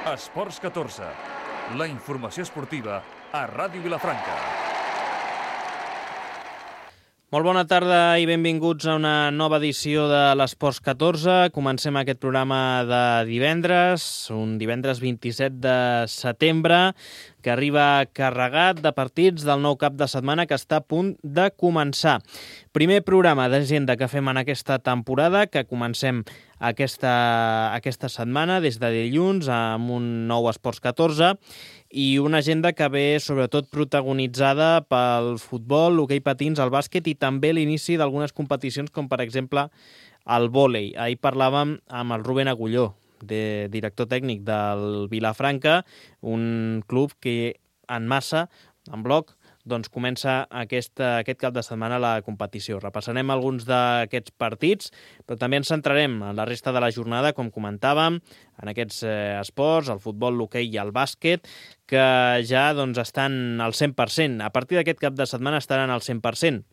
Esports 14, la informació esportiva a Ràdio Vilafranca. Molt bona tarda i benvinguts a una nova edició de l'Esports 14. Comencem aquest programa de divendres, un divendres 27 de setembre, que arriba carregat de partits del nou cap de setmana que està a punt de començar. Primer programa d'agenda que fem en aquesta temporada, que comencem aquesta setmana, des de dilluns, amb un nou Esports 14, i una agenda que ve sobretot protagonitzada pel futbol, l'hoquei patins, el bàsquet i també l'inici d'algunes competicions com per exemple el vòlei. Ahir parlàvem amb el Rubén Agulló, director tècnic del Vilafranca, un club que en massa, en bloc, doncs comença aquest cap de setmana la competició. Repassarem alguns d'aquests partits, però també ens centrarem en la resta de la jornada, com comentàvem, en aquests esports, el futbol, l'hoquei i el bàsquet, que ja doncs, estan al 100%. A partir d'aquest cap de setmana estaran al 100%.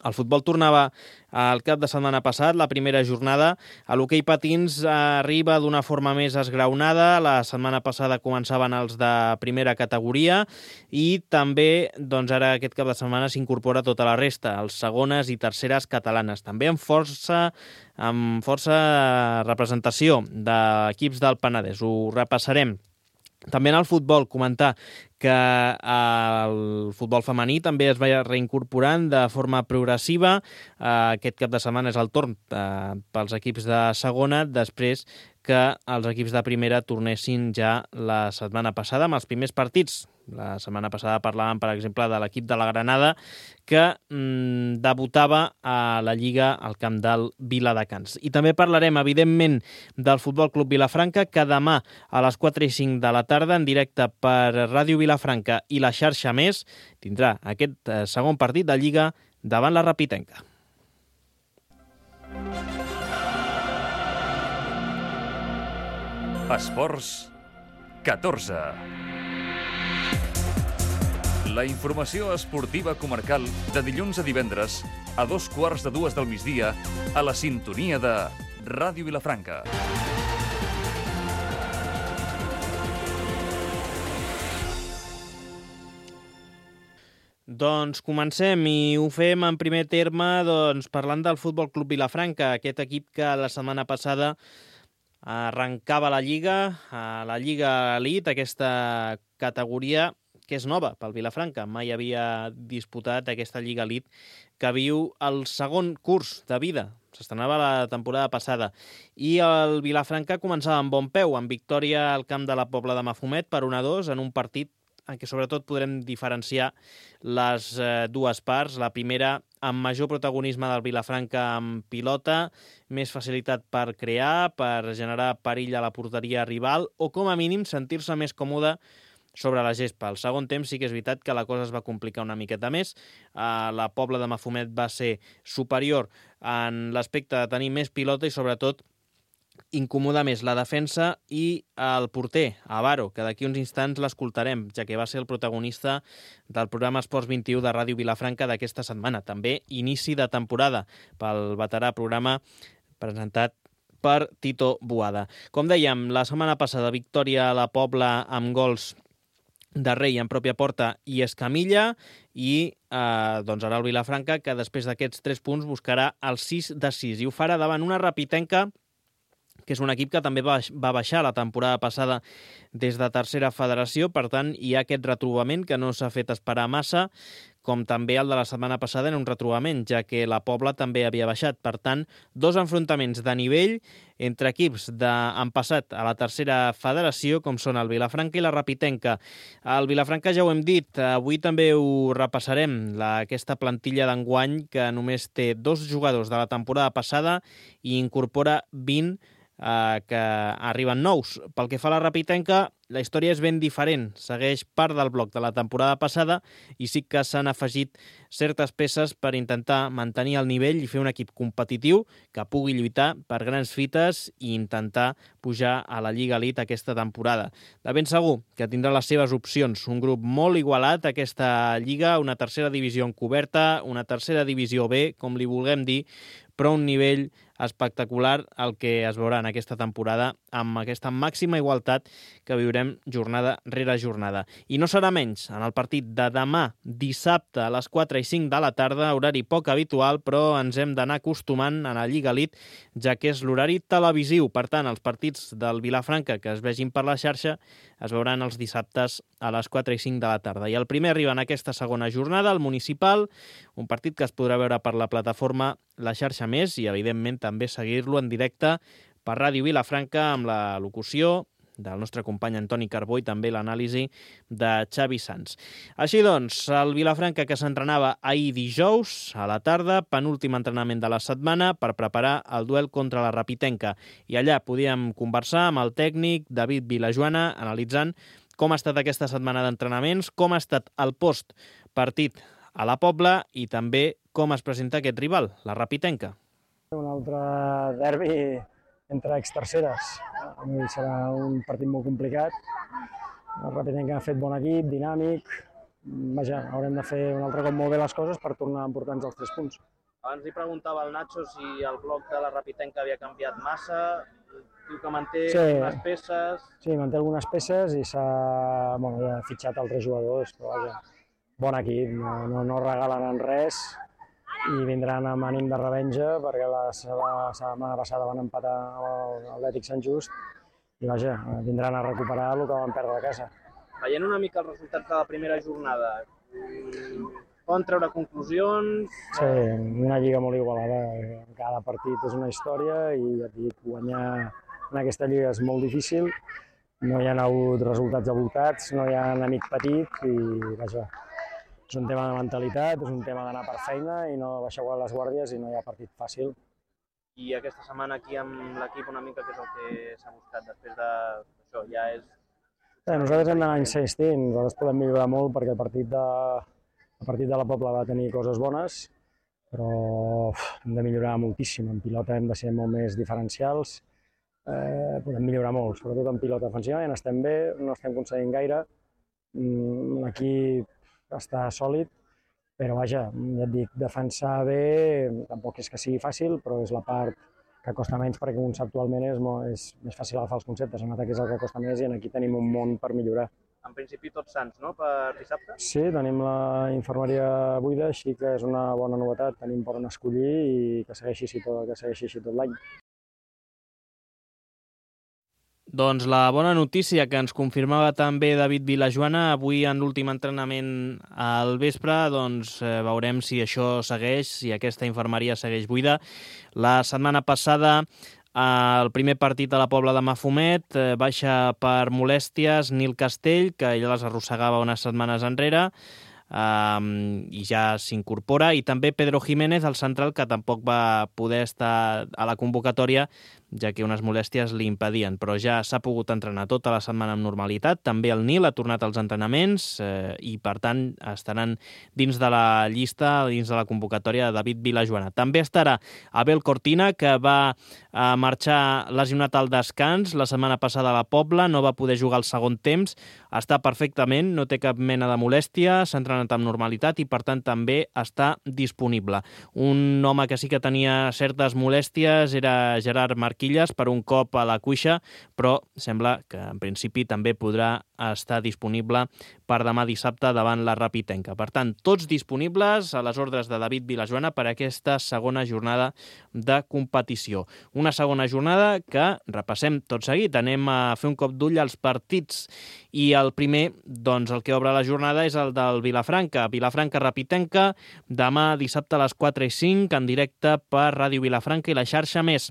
El futbol tornava el cap de setmana passat, la primera jornada. L'hoquei patins arriba d'una forma més esgraonada. La setmana passada començaven els de primera categoria i també doncs, ara aquest cap de setmana s'incorpora tota la resta, els segones i terceres catalanes. També amb força representació d'equips del Penedès. Ho repassarem. També en el futbol, comentar que el futbol femení també es va reincorporant de forma progressiva. Aquest cap de setmana és el torn pels equips de segona, després que els equips de primera tornessin ja la setmana passada amb els primers partits. La setmana passada parlàvem, per exemple, de l'equip de la Granada que debutava a la Lliga al camp del Viladecans. I també parlarem, evidentment, del Futbol Club Vilafranca, que demà a les 4:05 de la tarda, en directe per Ràdio Vilafranca i la xarxa Més, tindrà aquest segon partit de Lliga davant la Rapitenca. Esports 14. La informació esportiva comarcal de dilluns a divendres a 2:15 del migdia a la sintonia de Ràdio Vilafranca. Doncs comencem i ho fem en primer terme parlant del Futbol Club Vilafranca, aquest equip que la setmana passada arrencava la Lliga Elite, aquesta categoria que és nova pel Vilafranca. Mai havia disputat aquesta Lliga Elite que viu el segon curs de vida. S'estrenava la temporada passada. I el Vilafranca començava amb bon peu, amb victòria al camp de la Pobla de Mafumet per 1-2 en un partit en què sobretot podrem diferenciar les dues parts. La primera, amb major protagonisme del Vilafranca amb pilota, més facilitat per crear, per generar perill a la porteria rival o, com a mínim, sentir-se més còmode sobre la gespa. Al segon temps sí que és veritat que la cosa es va complicar una miqueta més. La Pobla de Mafumet va ser superior en l'aspecte de tenir més pilota i, sobretot, incomodar més la defensa i el porter, Avaro, que d'aquí uns instants l'escoltarem, ja que va ser el protagonista del programa Esports 21 de Ràdio Vilafranca d'aquesta setmana. També inici de temporada pel veterà programa presentat per Tito Boada. Com dèiem, la setmana passada victòria a la Pobla amb gols de Rei en pròpia porta i Escamilla i doncs ara el Vilafranca, que després d'aquests 3 punts buscarà el 6-6 i ho farà davant una Rapitenca que és un equip que també va baixar la temporada passada des de tercera federació, per tant hi ha aquest retrobament que no s'ha fet esperar massa, com també el de la setmana passada en un retrobament, ja que la Pobla també havia baixat. Per tant, 2 enfrontaments de nivell entre equips han passat a la tercera federació, com són el Vilafranca i la Rapitenca. El Vilafranca ja ho hem dit, avui també ho repassarem, aquesta plantilla d'enguany que només té 2 jugadors de la temporada passada i incorpora 20 que arriben nous. Pel que fa a la Rapitenca, la història és ben diferent. Segueix part del bloc de la temporada passada i sí que s'han afegit certes peces per intentar mantenir el nivell i fer un equip competitiu que pugui lluitar per grans fites i intentar pujar a la Lliga Elite aquesta temporada. De ben segur que tindrà les seves opcions. Un grup molt igualat, aquesta Lliga, una tercera divisió encoberta, una tercera divisió B, com li vulguem dir, però un nivell espectacular el que es veurà en aquesta temporada amb aquesta màxima igualtat que viurem jornada rere jornada. I no serà menys en el partit de demà, dissabte, a les 4 i 5 de la tarda, horari poc habitual, però ens hem d'anar acostumant a la Lliga Elite, ja que és l'horari televisiu. Per tant, els partits del Vilafranca que es vegin per la xarxa es veuran els dissabtes a les 4 i 5 de la tarda. I el primer arriba en aquesta segona jornada, el Municipal, un partit que es podrà veure per la plataforma La Xarxa Més i, evidentment, també seguir-lo en directe per Ràdio Vilafranca amb la locució del nostre company Antoni Carbó i també l'anàlisi de Xavi Sans. Així doncs, el Vilafranca que s'entrenava ahir dijous a la tarda, penúltim entrenament de la setmana per preparar el duel contra la Rapitenca. I allà podíem conversar amb el tècnic David Vilajoana analitzant com ha estat aquesta setmana d'entrenaments, com ha estat el post-partit a la Pobla i també com es presenta aquest rival, la Rapitenca. Un altre derbi entre exterceres. Serà un partit molt complicat. La Rapitenca ha fet bon equip, dinàmic. Vaja, haurem de fer un altre cop molt bé les coses per tornar a emportar-nos els 3 punts. Abans li preguntava al Nacho si el bloc de la Rapitenca havia canviat massa. Diu que manté algunes peces. Sí, manté algunes peces i ja ha fitxat altres jugadors, però vaja, bon equip, no regalen en res i vindran amb ànim de revenja perquè la setmana passada van empatar amb l'Atlètic Sant Just i vaja, vindran a recuperar el que van perdre a casa. Veient una mica els resultats de la primera jornada, poden treure conclusions? Sí, una lliga molt igualada, cada partit és una història i ja et dic, guanyar en aquesta lliga és molt difícil, no hi ha hagut resultats abultats, no hi ha enemic petit i vaja, és un tema de mentalitat, és un tema d'anar per feina i no baixar les guàrdies i no hi ha partit fàcil. I aquesta setmana aquí amb l'equip una mica què és el que s'ha buscat després d'això? Ja és... Nosaltres hem d'anar insistint, nosaltres podem millorar molt perquè el partit de la Pobla va tenir coses bones, però hem de millorar moltíssim. En pilota hem de ser molt més diferencials, podem millorar molt, sobretot en pilota. Defensivament estem bé, no estem aconseguint gaire, l'equip està sòlid, però vaja, ja et dic, defensar bé tampoc és que sigui fàcil, però és la part que costa menys perquè conceptualment és més fàcil agafar els conceptes. En atac és el que costa més i aquí tenim un món per millorar. En principi tots sants, no?, per dissabte? Sí, tenim la infermeria buida, així que és una bona novetat. Tenim per on escollir i que segueixi així tot l'any. Doncs la bona notícia que ens confirmava també David Vilajoana avui en l'últim entrenament al vespre, doncs veurem si això segueix, si aquesta infermeria segueix buida. La setmana passada el primer partit a la Pobla de Mafumet baixa per molèsties Nil Castell, que ella les arrossegava unes setmanes enrere, i ja s'incorpora, i també Pedro Jiménez, el central, que tampoc va poder estar a la convocatòria ja que unes molèsties li impedien, però ja s'ha pogut entrenar tota la setmana amb normalitat. També el Nil ha tornat als entrenaments i, per tant, estaran dins de la llista, dins de la convocatòria de David Vilajoana. També estarà Abel Cortina, que va marxar lesionat al descans la setmana passada a la Pobla, no va poder jugar al segon temps, està perfectament, no té cap mena de molèstia, s'ha entrenat amb normalitat i, per tant, també està disponible. Un home que sí que tenia certes molèsties era Gerard Marquillas, per un cop a la cuixa, però sembla que en principi també podrà estar disponible per demà dissabte davant la Rapitenca. Per tant, tots disponibles a les ordres de David Vilajoana per aquesta segona jornada de competició. Una segona jornada que repassem tot seguit. Anem a fer un cop d'ull als partits i el primer, doncs el que obre la jornada és el del Vilafranca. Vilafranca-Rapitenca, demà dissabte a les 4 i 5 en directe per Ràdio Vilafranca i la xarxa Més.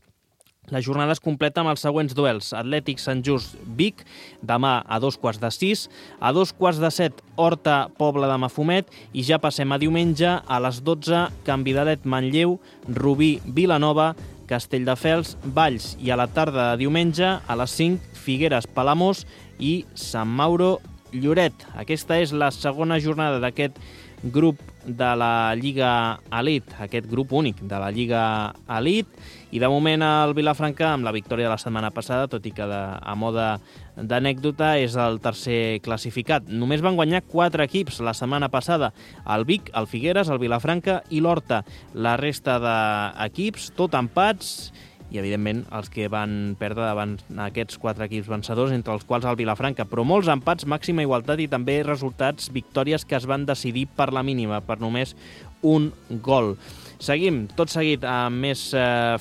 La jornada es completa amb els següents duels. Atlètic Sant Just Vic, demà a 2:45, a 2:45 Horta Pobla de Mafumet i ja passem a diumenge a les 12 Canvidalet Manlleu, Rubí Vilanova, Castelldefels Valls i a la tarda de diumenge a les 5 Figueres Palamós i Sant Mauro Lloret. Aquesta és la segona jornada d'aquest grup de la Lliga Elite, aquest grup únic de la Lliga Elite, i de moment el Vilafranca, amb la victòria de la setmana passada, tot i que a mode d'anècdota, és el tercer classificat. Només van guanyar 4 equips la setmana passada, el Vic, el Figueres, el Vilafranca i l'Horta. La resta d'equips, tot empats, i evidentment els que van perdre davant aquests 4 equips vencedors, entre els quals el Vilafranca, però molts empats, màxima igualtat i també resultats, victòries que es van decidir per la mínima, per només un gol. Seguim, tot seguit, amb més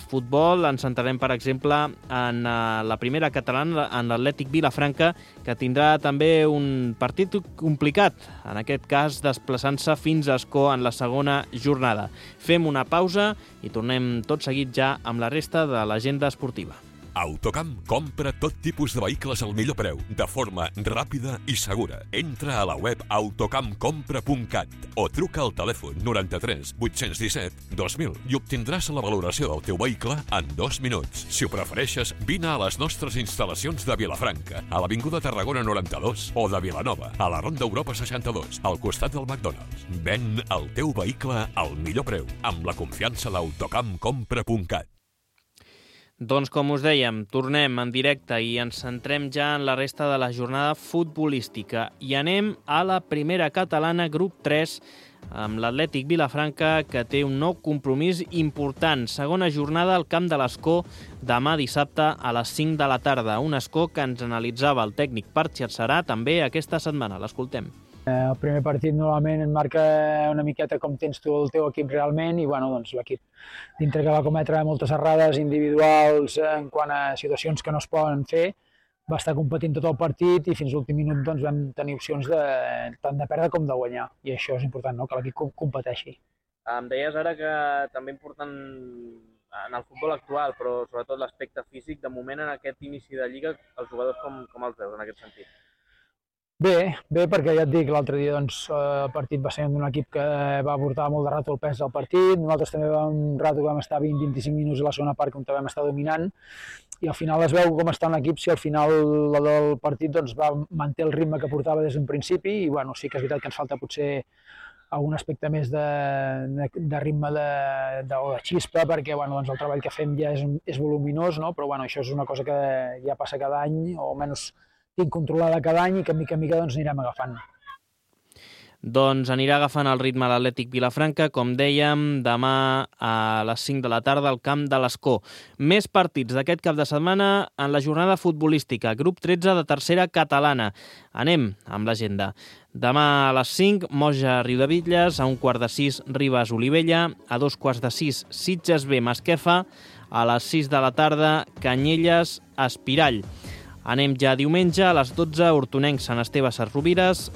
futbol. Ens centrarem, per exemple, en la primera catalana, en l'Atlètic Vilafranca, que tindrà també un partit complicat, en aquest cas desplaçant-se fins a Ascó en la segona jornada. Fem una pausa i tornem tot seguit ja amb la resta de l'agenda esportiva. Autocamp compra tot tipus de vehicles al millor preu, de forma ràpida i segura. Entra a la web autocampcompra.cat o truca al telèfon 93 817 2000 i obtindràs la valoració del teu vehicle en 2 minuts. Si ho prefereixes, vine a les nostres instal·lacions de Vilafranca, a l'Avinguda Tarragona 92 o de Vilanova, a la Ronda Europa 62, al costat del McDonald's. Ven el teu vehicle al millor preu, amb la confiança d'autocampcompra.cat. Doncs com us dèiem, tornem en directe i ens centrem ja en la resta de la jornada futbolística i anem a la primera catalana, grup 3, amb l'Atlètic Vilafranca, que té un nou compromís important. Segona jornada al Camp de l'Escó, demà dissabte a les 5 de la tarda. Un Escó que ens analitzava el tècnic Parc Serà també aquesta setmana. L'escoltem. El primer partit normalment et marca una miqueta com tens tu el teu equip realment i doncs l'equip, dintre que va cometre moltes errades individuals en quant a situacions que no es poden fer, va estar competint tot el partit i fins a l'últim minut vam tenir opcions tant de perdre com de guanyar. I això és important, no? Que l'equip competeixi. Em deies ara que també important en el futbol actual, però sobretot l'aspecte físic, de moment en aquest inici de Lliga, els jugadors com els veus en aquest sentit? Bé, perquè ja et dic, l'altre dia el partit va ser d'un equip que va portar molt de rato el pes del partit, nosaltres també un rato vam estar 20-25 minuts a la segona part on vam estar dominant i al final es veu com està un equip si al final del partit va manté el ritme que portava des d'un principi i sí que és veritat que ens falta potser algun aspecte més de ritme o de xispa perquè el treball que fem ja és voluminós, no? Però això és una cosa que ja passa cada any o almenys tinc controlada cada any i que mica en mica anirem agafant. Doncs anirà agafant el ritme l'Atlètic Vilafranca, com dèiem, demà a les 5 de la tarda al Camp de l'Escó. Més partits d'aquest cap de setmana en la jornada futbolística, grup 13 de tercera catalana. Anem amb l'agenda. Demà a les 5, Moja Riudebitlles, a 5:15 Ribes Olivella, a 2:15 Sitges B Masquefa, a les 6 de la tarda Canyelles Espirall. Anem ja diumenge a les 12, Hortonenc Sant Esteve Sesrovires,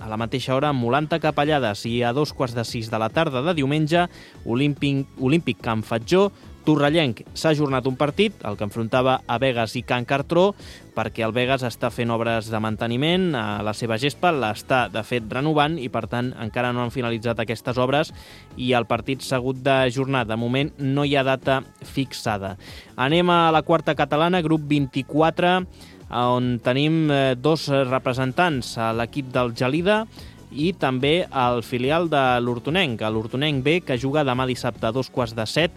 a la mateixa hora Molanta Capellades i a 2:15 de la tarda de diumenge Olímpic Can Fatjó. Torrellenc s'ha ajornat un partit, el que enfrontava a Begues i Can Cartró, perquè el Begues està fent obres de manteniment a la seva gespa, l'està de fet renovant i per tant encara no han finalitzat aquestes obres i el partit s'ha hagut d'ajornar. De moment no hi ha data fixada. Anem a la quarta catalana, grup 24, on tenim 2 representants, a l'equip del Gelida i també el filial de l'Hortonenc, l'Hortonenc B, que juga demà dissabte a 2:15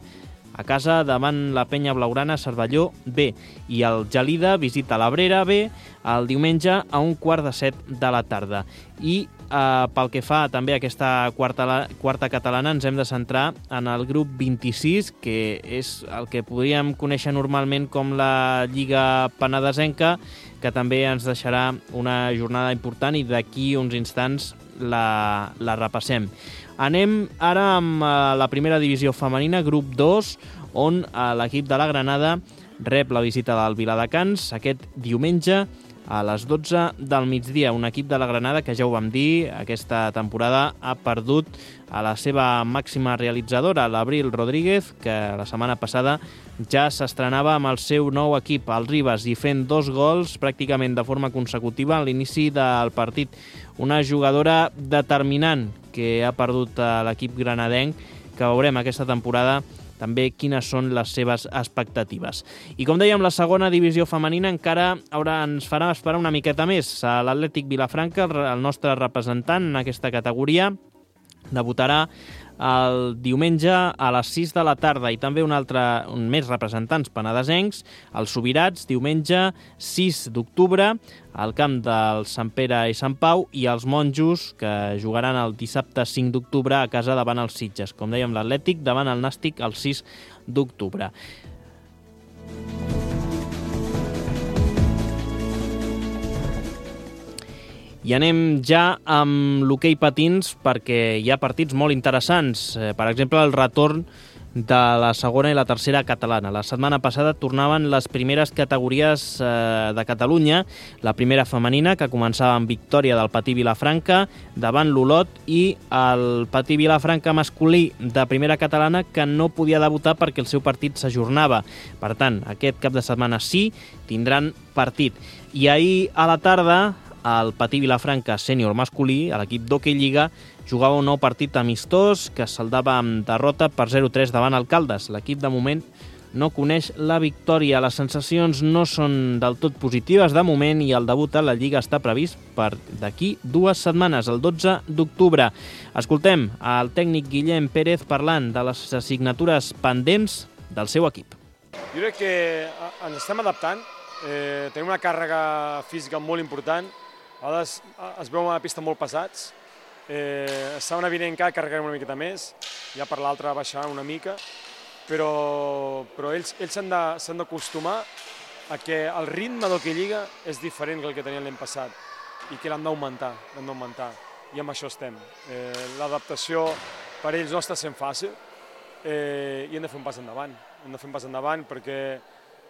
a casa davant la Penya Blaugrana Cervelló B. I el Gelida visita l'Abrera B el diumenge a 1:15 de la tarda. I pel que fa també a aquesta quarta catalana ens hem de centrar en el grup 26, que és el que podríem conèixer normalment com la Lliga Penedesenca, que també ens deixarà una jornada important i d'aquí uns instants la repassem. Anem ara amb la primera divisió femenina, grup 2, on l'equip de la Granada rep la visita del Viladecans aquest diumenge a les 12 del migdia. Un equip de la Granada que ja ho vam dir, aquesta temporada ha perdut a la seva màxima realitzadora, l'Abril Rodríguez, que la setmana passada ja s'estrenava amb el seu nou equip, el Ribes, i fent 2 gols pràcticament de forma consecutiva a l'inici del partit. Una jugadora determinant que ha perdut a l'equip granadenc, que veurem aquesta temporada també quines són les seves expectatives. I com dèiem, la segona divisió femenina encara ens farà esperar una miqueta més. L'Atlètic Vilafranca, el nostre representant en aquesta categoria, debutarà el diumenge a les 6 de la tarda i també un més representants penedesencs, els Subirats, diumenge 6 d'octubre al camp del Sant Pere i Sant Pau, i els Monjos, que jugaran el dissabte 5 d'octubre a casa davant els Sitges. Com dèiem, l'Atlètic davant el Nàstic el 6 d'octubre. I anem ja amb l'hoquei patins perquè hi ha partits molt interessants. Per exemple, el retorn de la segona i la tercera catalana. La setmana passada tornaven les primeres categories de Catalunya, la primera femenina, que començava amb victòria del Patí Vilafranca davant l'Olot, i el Patí Vilafranca masculí de primera catalana, que no podia debutar perquè el seu partit s'ajornava. Per tant, aquest cap de setmana sí tindran partit. I ahir a la tarda el Patí Vilafranca sènior masculí, a l'equip d'Hockey Lliga, jugava un nou partit amistós que es saldava amb derrota per 0-3 davant el Caldes. L'equip de moment no coneix la victòria. Les sensacions no són del tot positives de moment i el debut a la Lliga està previst per d'aquí 2 setmanes, el 12 d'octubre. Escoltem el tècnic Guillem Pérez parlant de les assignatures pendents del seu equip. Jo crec que ens estem adaptant, tenim una càrrega física molt important. A vegades es veuen a la pista molt pesats. Setmana vinent encara carregarem una miqueta més, ja per l'altra baixaran una mica, però ells s'han d'acostumar a que el ritme d'Hockey Lliga és diferent que el que tenien l'any passat i que l'han d'augmentar, i amb això estem. L'adaptació per ells no està sent fàcil i hem de fer un pas endavant, perquè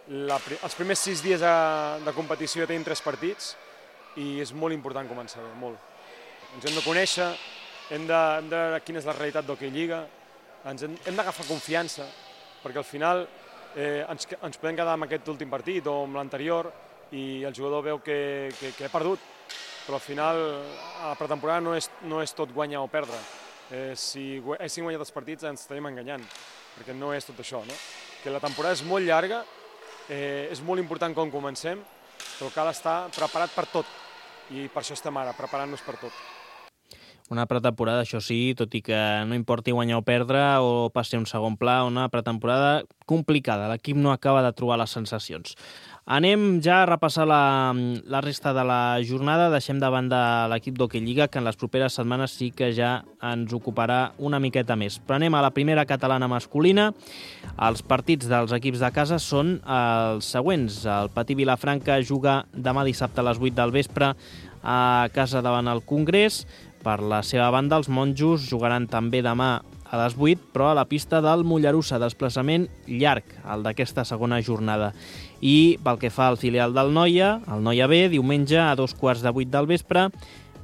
els primers 6 dies de competició ja tenim 3 partits i és molt important començar bé, molt. Ens hem de conèixer, hem de veure quina és la realitat d'Hockey Lliga, hem d'agafar confiança, perquè al final ens podem quedar amb aquest últim partit o amb l'anterior i el jugador veu que ha perdut, però al final a la pretemporada no és tot guanyar o perdre. Si haguéssim guanyat els partits ens estaríem enganyant, perquè no és tot això, no? Que la temporada és molt llarga, és molt important com comencem, però cal estar preparat per tot. I per això estem ara, preparant-nos per tot. Una pretemporada, això sí, tot i que no importi guanyar o perdre o passi a un segon pla, una pretemporada complicada. L'equip no acaba de trobar les sensacions. Anem ja a repassar la resta de la jornada. Deixem de banda l'equip d'Hockey Lliga, que en les properes setmanes sí que ja ens ocuparà una miqueta més. Però anem a la primera catalana masculina. Els partits dels equips de casa són els següents. El Patí Vilafranca juga demà dissabte a les 8 del vespre a casa davant el Congrés. Per la seva banda, els Monjos jugaran també demà a les 8, però a la pista del Mollerussa, desplaçament llarg, el d'aquesta segona jornada. I pel que fa al filial del Noia, el Noia B, diumenge a 2:15 del vespre,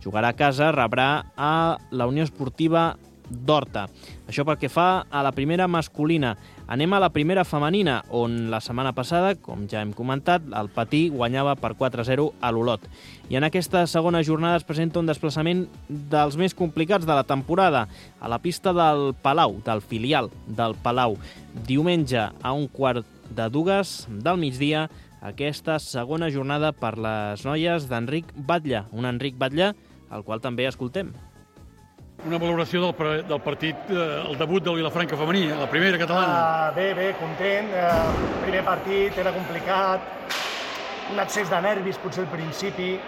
jugarà a casa, rebrà a la Unió Esportiva d'Horta. Això pel que fa a la primera masculina. Anem a la primera femenina, on la setmana passada, com ja hem comentat, el Patí guanyava per 4-0 a l'Olot. I en aquesta segona jornada es presenta un desplaçament dels més complicats de la temporada, a la pista del Palau, del filial del Palau. Diumenge a 1:15 del migdia, aquesta segona jornada per les noies d'Enric Batlle. Un Enric Batlle, al qual també escoltem. Una valoració del partit, el debut del Vilafranca femení, la primera catalana. Bé, content. Primer partit, era complicat, un excés de nervis potser al principi.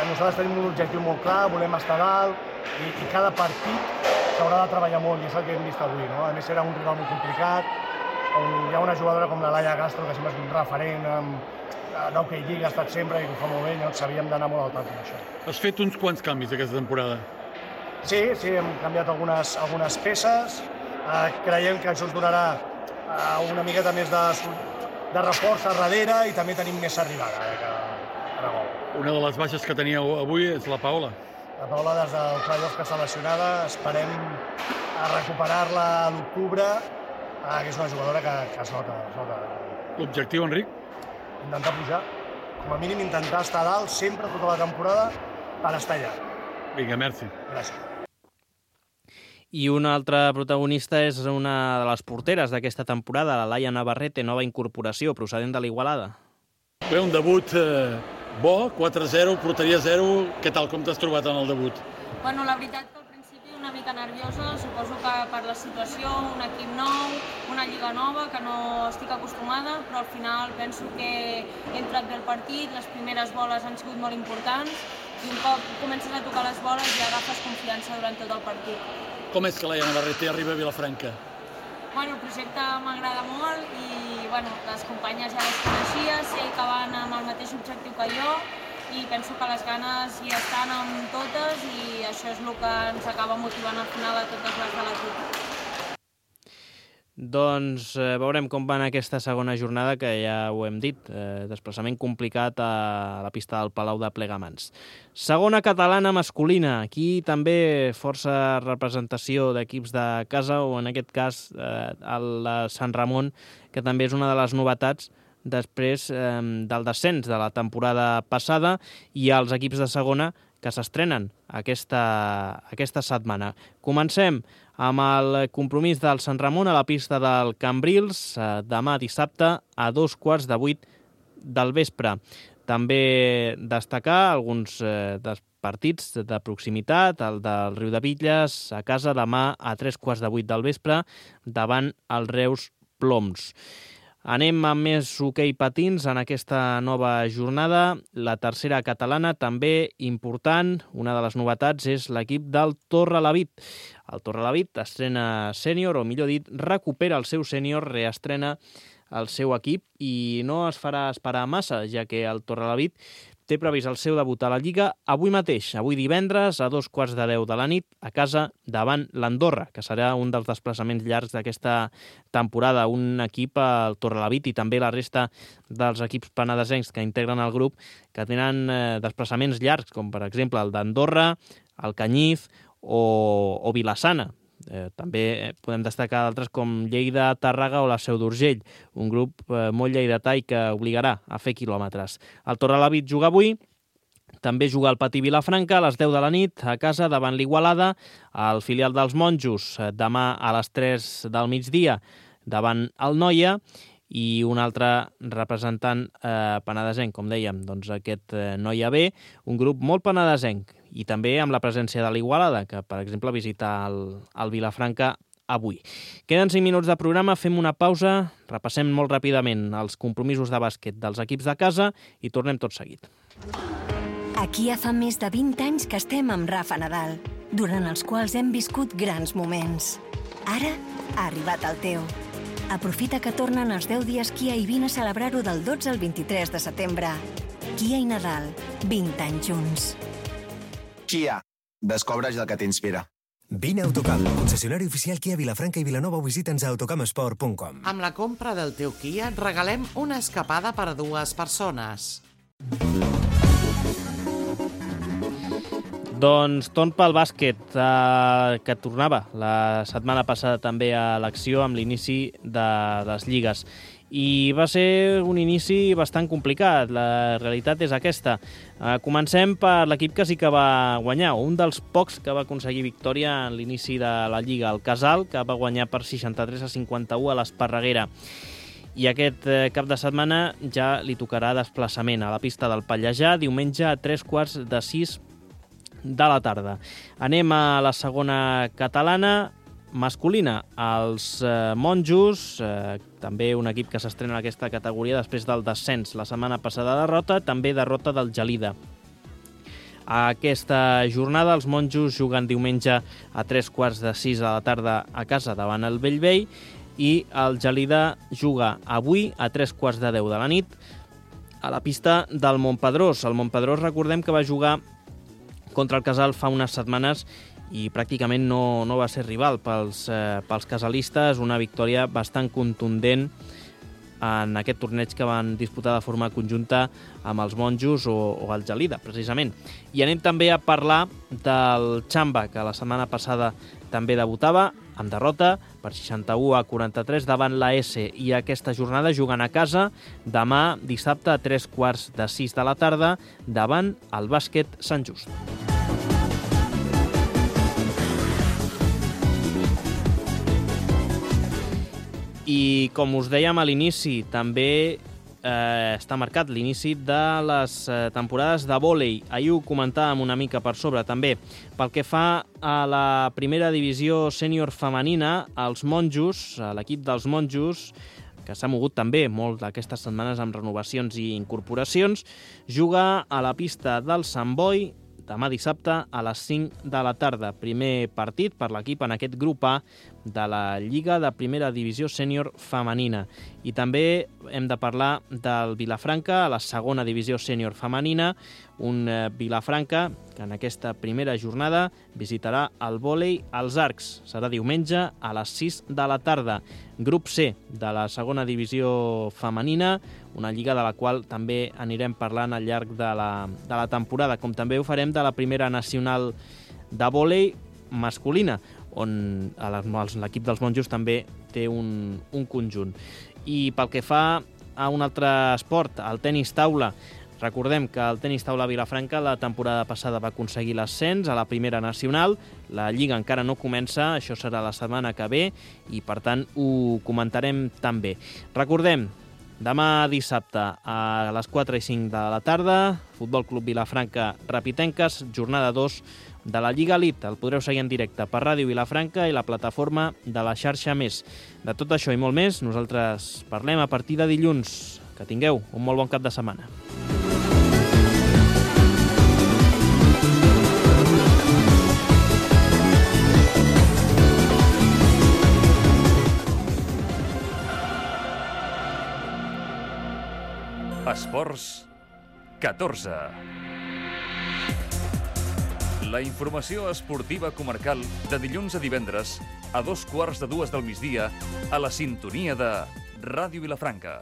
Nosaltres tenim un objectiu molt clar, volem estar dalt i cada partit s'haurà de treballar molt i és el que hem vist avui, no? A més era un rival molt complicat, on hi ha una jugadora com la Laia Castro, que sempre és un referent d'Hockey Lliga, ha estat sempre i ho fa molt bé, llavors sabíem d'anar molt al tanto d'això. Has fet uns quants canvis aquesta temporada? Sí, hem canviat algunes peces. Creiem que això ens donarà una miqueta més de reforç a darrere i també tenim més arribada que gol. Una de les baixes que teníeu avui és la Paola. La Paola des del playoff que està lesionada, esperem recuperar-la a l'octubre, que és una jugadora que es nota. L'objectiu, Enric? Intentar pujar, com a mínim intentar estar dalt sempre tota la temporada per estar allà. Vinga, merci. Gràcies. I una altra protagonista és una de les porteres d'aquesta temporada, la Laia Navarrete, nova incorporació procedent de l'Igualada. Bé, un debut bo, 4-0, porteria 0. Què tal, com t'has trobat en el debut? Bueno, la veritat que al principi una mica nerviosa, suposo que per la situació, un equip nou, una lliga nova, que no estic acostumada, però al final penso que he entrat bé el partit, les primeres boles han sigut molt importants i un cop comences a tocar les boles ja agafes confiança durant tot el partit. Com és que la Iana Barreter arriba a Vilafranca? El projecte m'agrada molt i les companyes ja les coneixia, sé que van amb el mateix objectiu que jo i penso que les ganes hi estan amb totes i això és el que ens acaba motivant al final a totes les de l'equip. Doncs veurem com va en aquesta segona jornada, que ja ho hem dit, desplaçament complicat a la pista del Palau de Plegamans. Segona catalana masculina, aquí també força representació d'equips de casa, o en aquest cas el Sant Ramon, que també és una de les novetats després del descens de la temporada passada, i els equips de segona que s'estrenen aquesta setmana. Comencem amb el compromís del Sant Ramon a la pista del Cambrils, demà dissabte a 7:15 del vespre. També destacar alguns dels partits de proximitat, el del Riudebitlles a casa demà a 7:15 del vespre davant el Reus Ploms. Anem amb més hoquei patins en aquesta nova jornada. La tercera catalana, també important. Una de les novetats és l'equip del Torrelavit. El Torrelavit estrena sènior, o millor dit, recupera el seu sènior, reestrena el seu equip i no es farà esperar massa, ja que el Torrelavit té previst el seu debut a la Lliga avui mateix, avui divendres, a 9:15 de la nit, a casa davant l'Andorra, que serà un dels desplaçaments llargs d'aquesta temporada. Un equip, el Torrelavit, i també la resta dels equips penedesencs que integren el grup, que tenen desplaçaments llargs, com per exemple el d'Andorra, el Canyif o Vilassana. També podem destacar d'altres com Lleida, Tàrrega o la Seu d'Urgell, un grup molt lleidatà i que obligarà a fer quilòmetres. El Torrelavit juga avui, també juga el Patí Vilafranca a les 10 de la nit a casa davant l'Igualada, el filial dels Monjos demà a les 3 del migdia davant el Noia, i un altre representant penedesenc, com dèiem, doncs aquest Noia B, un grup molt penedesenc, i també amb la presència de l'Igualada, que, per exemple, visita el Vilafranca avui. Queden 5 minuts de programa, fem una pausa, repassem molt ràpidament els compromisos de bàsquet dels equips de casa i tornem tot seguit. Aquí ja fa més de 20 anys que estem amb Rafa Nadal, durant els quals hem viscut grans moments. Ara ha arribat el teu. Aprofita que tornen els 10 dies Kia i vine a celebrar-ho del 12 al 23 de setembre. Kia i Nadal, 20 anys junts. Kia, descobreix el que t'inspira. Vine a Autocamp, concessionari oficial Kia Vilafranca i Vilanova, o visita'ns a autocampsport.com. Amb la compra del teu Kia et regalem una escapada per a 2 persones. Doncs torn pel bàsquet, que tornava la setmana passada també a l'acció amb l'inici de les lligues. I va ser un inici bastant complicat, la realitat és aquesta. Comencem per l'equip que sí que va guanyar, un dels pocs que va aconseguir victòria en l'inici de la Lliga, el Casal, que va guanyar per 63-51 a l'Esparreguera. I aquest cap de setmana ja li tocarà desplaçament a la pista del Pallejà, diumenge a 3:15 de la tarda. Anem a la segona catalana, masculina. Els Monjos, també un equip que s'estrena en aquesta categoria després del descens. La setmana passada derrota, també derrota del Gelida. A aquesta jornada els Monjos juguen diumenge a 3:15 de la tarda a casa davant el Bellvei, i el Gelida juga avui a 3:10 de la nit a la pista del Montpedrós. El Montpedrós, recordem que va jugar contra el Casal fa unes setmanes i pràcticament no va ser rival pels casalistes, una victòria bastant contundent en aquest torneig que van disputar de forma conjunta amb els Monjos o el Gelida, precisament. I anem també a parlar del Xamba, que la setmana passada també debutava amb derrota per 61-43 davant la S, i aquesta jornada juguen a casa demà dissabte a 3:15 de la tarda davant el Bàsquet Sant Just. I com us dèiem a l'inici, també està marcat l'inici de les temporades de vòlei. Ahir ho comentàvem una mica per sobre, també. Pel que fa a la primera divisió sènior femenina, els monjos, l'equip dels monjos, que s'ha mogut també molt aquestes setmanes amb renovacions i incorporacions, juga a la pista del Sant Boi demà dissabte a les 5 de la tarda. Primer partit per l'equip en aquest grup A de la Lliga de Primera Divisió Sènior Femenina. I també hem de parlar del Vilafranca, a la segona divisió sènior femenina, un Vilafranca que en aquesta primera jornada visitarà el vòlei als Arcs. Serà diumenge a les 6 de la tarda. Grup C de la segona divisió femenina, una lliga de la qual també anirem parlant al llarg de la temporada, com també ho farem de la primera nacional de vòlei masculina, on l'equip dels monjos també té un conjunt. I pel que fa a un altre esport, el tenis taula, recordem que el tenis taula Vilafranca la temporada passada va aconseguir l'ascens a la primera nacional. La lliga encara no comença, això serà la setmana que ve i per tant ho comentarem també. Recordem, demà dissabte a les 4 i 5 de la tarda, Futbol Club Vilafranca Rapitenques, jornada 2 de la Lliga Elite. El podreu seguir en directe per Ràdio Vilafranca i la plataforma de la xarxa Més. De tot això i molt més, nosaltres parlem a partir de dilluns. Que tingueu un molt bon cap de setmana. Esports 14. La informació esportiva comarcal de dilluns a divendres a 2:15 del migdia a la sintonia de Ràdio Vilafranca.